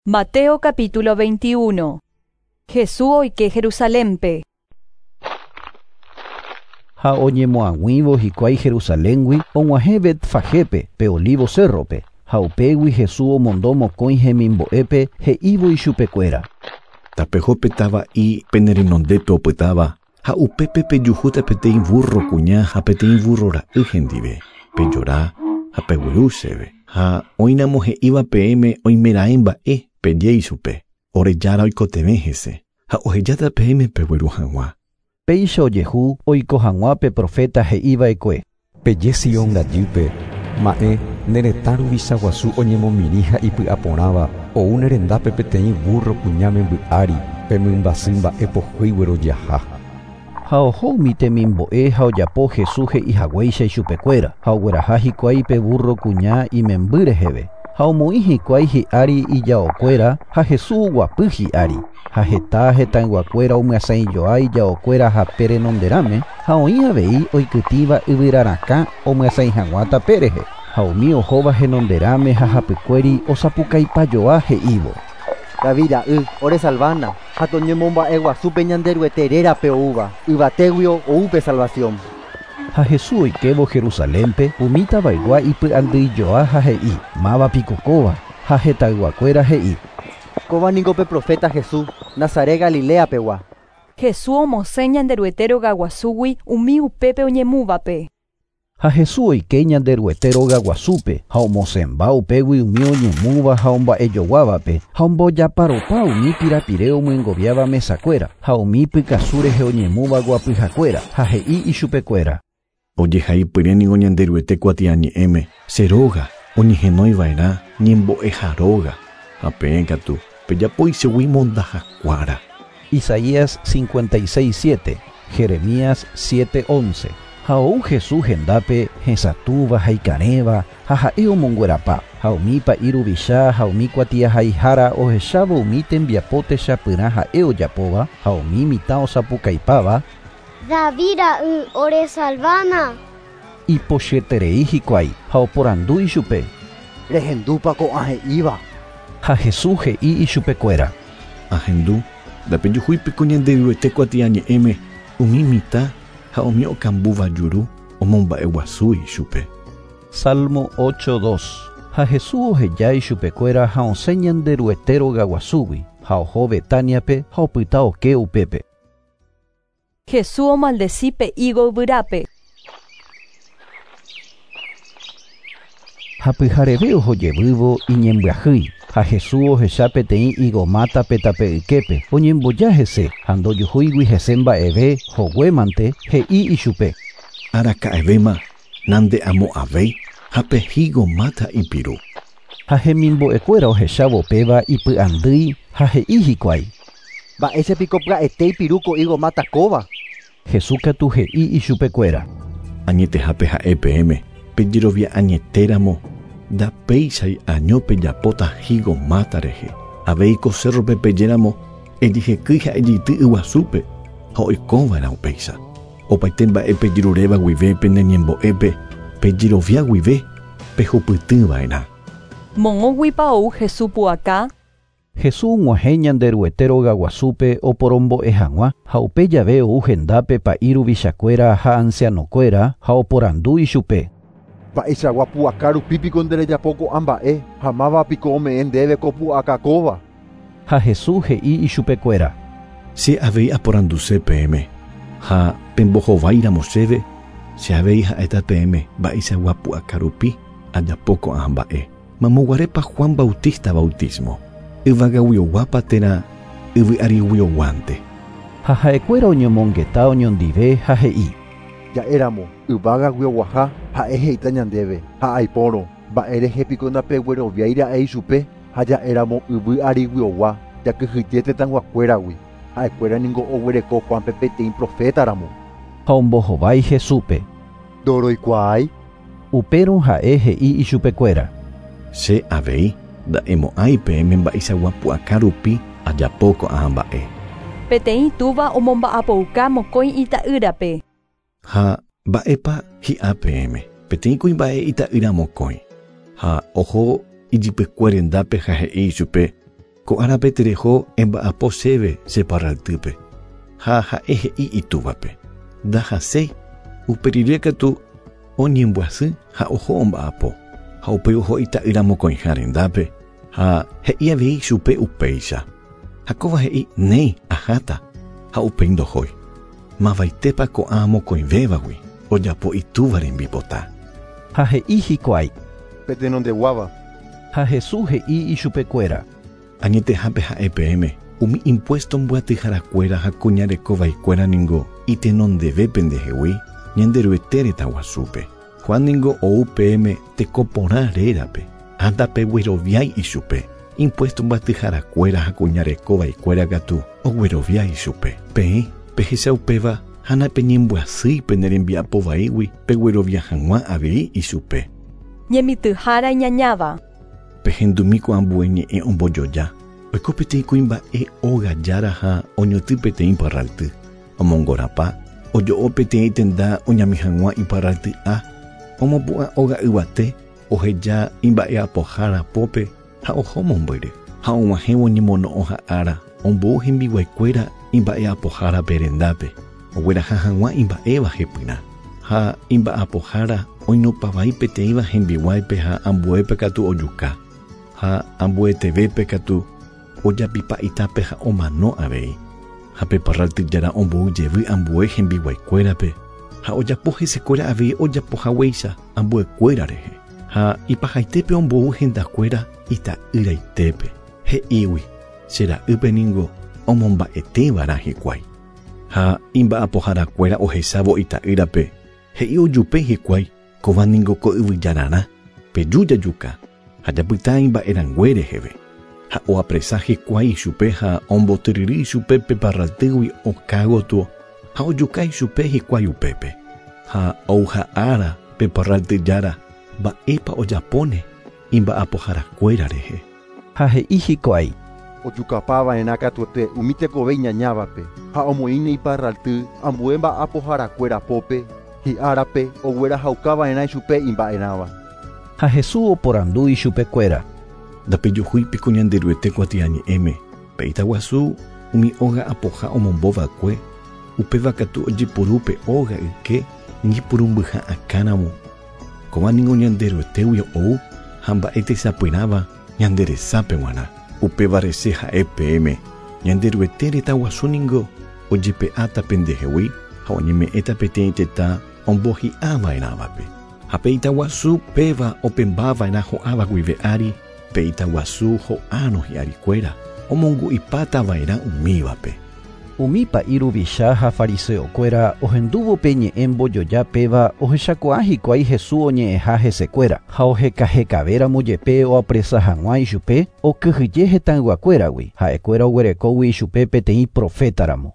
Mateo capítulo 21. Jesús oike Jerusalénpe. Ha oñemoag̃uívo hikuái Jerusaléngui og̃uahẽ Betfagépe, pe Olivo cérrope, ha upégui Jesús omondo mokõi hemimbo'épe he'ívo ichupekuéra. Tapeho pe tava'i pene renondépe opytáva ha upépe pejuhúta peteĩ burro kuña ha peteĩ burro ra'y hendive, pejora ha pegueru chéve. Ha oĩramo he'íva peẽme oimeraẽ mba'e peje ichupe, ore Jára oikotevẽ hese ha ohejáta peẽme pegueru hag̃ua. Péicha ojehu oiko hag̃ua pe profeta he'iva'ekue. Peje Sion rajýpe, ma'ẽ ne retã ruvicha guasu oñemomirĩ ha ipy'aporãva ou ne rendápe peteĩ burro kuña memby ári pe mymbasy mba'e pohýi guerojaha. Ha oho umi temimbo'e ha ojapo Jesús he'ihaguéicha ichupekuéra ha ogueraha hikuái pe burro kuña imemby reheve. Ha omoĩ hikuái hi'ári ijaokuéra ha Jesús oguapy hi'ári. Ha heta hetãyguakuéra omyasãijoa ijaokuéra hape renonderãme ha oĩ avei oikytĩva yvyrarakã omyasãi hag̃ua tape rehe. Ha umi ohóva henonderãme ha hapykuéri osapukaipajoa he'ívo. David ra'y oresalvána ha toñemomba'eguasúpe Ñanderuete rérape oúva yvatéguio ou pe salvación. Ha Jesús oikévo Jerusalénpe umi tavaygua ipy'andyijoa ha he'i mávapiko kóva ha hetãyguakuéra he'i. Kóva niko pe profeta Jesús, Nazaret Galilea pegua. Jesús omosẽ Ñanderuete rogaguasúgui umi upépe oñemúvape. Ha Jesús oike Ñanderuete rogaguasúpe ha omosẽmba upégui umi oñemúva ha omba'ejoguávape ha ombojaparopa umi pirapire omyengoviáva mesakuéra ha umi pykasu rehe oñemúva guapyhakuéra ha he'i ichupekuéra. Ojehaipyre niko Ñanderuete kuatiañe'ẽme che róga oñehenoiva'erã ñembo'eha róga ha peẽ katu pejapo ichugui mondahakuára. Isaías 56:7, Jeremías 7:11. Ha ou Jesús hendápe hesatũva ha ikarẽva ha ha'e omonguerapa ha umi pa'i ruvicha ha umi kuatiahaihára ohechávo umi tembiapo techapyrã ha'e ojapóva ha umi mitã osapukaipáva David ra'y oresalvána. Ipochyeterei hikuái ha oporandu ichupe. Rehendúpa ko'ã he'íva. Ha Jesús he'i ichupekuéra. Ahendu ndapejuhúipiko Ñanderuete kuatiañe'ẽme umi mitã ha umi okambúva juru omomba'eguasu ichupe. Salmo 8:2. Ha Jesús oheja ichupekuéra ha osẽ Ñanderuete rogaguasúgui ha oho Betániape ha opyta oke upépe. Jesús omaldeci pe higo yvyrápe. Ha pyhareve ohojevývo iñembyahýi ha Jesús ohecha peteĩ higomátape tape yképe oñemboja hese ha ndojuhúigui hese mba'eve hoguémante he'i ichupe. Araka'evéma nande'amo'ãvéi ha pe higomáta ipiru. Ha hemimbo'ekuéra ohechávo péva ipy'andýi ha he'i hikuái. Mba'éichapiko pya'ete ipiru ko higomáta kóva. Jesús katu he'i ichupekuéra. Añetehápe ha'e peẽme pejerovia añetéramo ndapéichai año pejapóta higomáta rehe. Avei ko cérrope pejéramo ejehekýi ha ejeity yguasúpe ha oikóva'erã upéicha. Opaite mba'e pejeruréva guive pene ñembo'épe pejerovia guive pehupytýva'erã. Moõguipa ou Jesús pu'aka. Jesús og̃uahẽ Ñanderuete rogaguasúpe oporombo'e hag̃ua ha upe jave ou hendápe pa'i ruvichakuéra ha ancianokuéra ha oporandu ichupe. Mba'eichagua pu'aka rupípiko nderejapo ko'ã mba'e ha mávapiko ome'ẽ ndéve ko pu'aka kóva. Ha Jesús he'i ichupekuéra. Che avei aporanduse peẽme ha pembohováiramo chéve che avei ha'éta peẽme mba'eichagua pu'aka rupi ajapo ko'ã mba'e. Mamoguarépa Juan Bautista bautismo yvagaguioguápa térã yvy'ariguioguánte. Ha ha'ekuéra oñomongeta oñondive ha he'i. Ja'éramo yvagaguioguaha ha'e he'íta ñandéve ha aipórõ mba'érehepiko ndapegueroviáira'e ichupe ha ja'éramo yvy'ariguiogua jakyhyje tetãyguakuéragui ha'ekuéra niko oguereko Juanpe peteĩ profétaramo. Ha ombohovái Jesúspe. Ndoroikuaái. Upérõ ha'e he'i ichupekuéra. Che avei nda'emo'ãi peẽme mba'eichagua pu'aka rupi ajapo ko'ã mba'e. Peteĩ túva omomba'apouka mokõi ita'ýrape. Ha mba'épa hi'a peẽme peteĩ kuimba'e ita'ýra mokõi ha oho ijypykue rendápe ha he'i ichupe. Ko árape tereho emba'apo chéve che parraltýpe. Ha ha'e he'i itúvape: Ndahaséi. Uperire katu oñembyasy ha oho omba'apo. Ha upéi oho ita'ýra mokõiha rendápe ha he'i avei chupe upéicha. Ha kóva he'i: Néi, aháta. Ha upéi ndohói. Mavaitépa ko'ã mokõivévagui ojapo itúva rembipota? Ha he'i hikuái: Pe tenondeguáva. Ha Jesús he'i ichupekuéra: Añetehápe ha'e peẽme, umi impuesto mbyatyharakuéra ha kuña reko vaikuéra ningo itenondeve pendehegui Ñanderuete retã guasúpe. Juan ningo ou peẽme teko porã rérape, ha ndapegueroviái ichupe. Impuesto mbyatyharakuéra ha kuña reko vaikuéra katu oguerovia ichupe. Peẽ pehecha upéva ha napeñembyasýi pene rembiapo vaígui peguerovia hag̃ua avei ichupe. Ñemitỹhára iñañáva. Pehendumi ko ambue ñe'ẽ ombojoja. Oiko peteĩ kuimba'e óga jára ha oñotỹ peteĩ parralty. Omongorapa, ojo'o peteĩ tenda oñami hag̃ua iparralty'a, omopu'ã óga yvate, oheja imba'eapohára pópe ha oho mombyry. Ha og̃uahẽvo ñemono'õha ára, ombou hembiguaikuéra imba'eapohárape rendápe, ogueraha hag̃ua imba'éva hepyrã. Ha imba'apohára oinupavai peteĩva hembiguáipe ha ambuépe katu ojuka, ha ambuetevépe katu ojapipa itápe ha omano avei. Ha pe parralty jára ombou jevy ambue hembiguaikuérape ha ojapo hesekuéra avei ojapo haguéicha ambuekuéra rehe. Ha ipahaitépe ombou hendakuéra ita'yraitépe, he'ígui, Che ra'ýpe ningo omomba'etévarã hikuái. Ha imba'apoharakuéra ohechávo ita'ýrape, he'i ojupe hikuái, Kóva ningo ko yvyjararã, peju jajuka, ha japyta imba'erãngue reheve. Ha oapresa hikuái ichupe ha ombotyryry ichupe pe parraltýgui oka gotyo ha ojuka ichupe hikuái upépe. Ha ouha ára pe parralty jára, mba'épa ojapóne imba'apoharakuéra rehe. Ha he'i hikuái. Ojukapa va'erã katuete umi tekove iñañávape, ha omoĩne iparralty ambue mba'apoharakuéra pópe, hi'árape oguerahauka va'erã ichupe imba'erãva. Ha Jesús oporandu ichupekuéra. Ndapejuhúi piko Ñanderuete kuatiañe'ẽme, pe ita guasu umi óga apoha omombo va'ekue, upéva katu ojepuru pe óga yke ñepyrũmbyha akãramo. Kóva ningo Ñanderuetégui ou ha mba'e techapyrãva ñande resápe g̃uarã. Upévare che ha'e peẽme, Ñanderuete retã guasu ningo ojepe'áta pendehegui ha oñeme'ẽta peteĩ tetã ombohi'a va'erãvape. Ha pe ita guasu péva opẽmba va'erã ho'áva guive ári, pe ita guasu ho'árõ hi'arikuéra, omongu'ipáta va'erã umívape. Umi pa'i ruvicha ha fariseokuéra ohendúvo pe ñe'ẽ mbojoja péva ohechakuaa hikuái Hesu oñe'ẽha hesekuéra, ha ohekahekavéramo jepe oapresa hag̃ua ichupe, okyhyje hetãyguakuéragui, ha'ekuéra oguerekógui ichupe peteĩ profétaramo.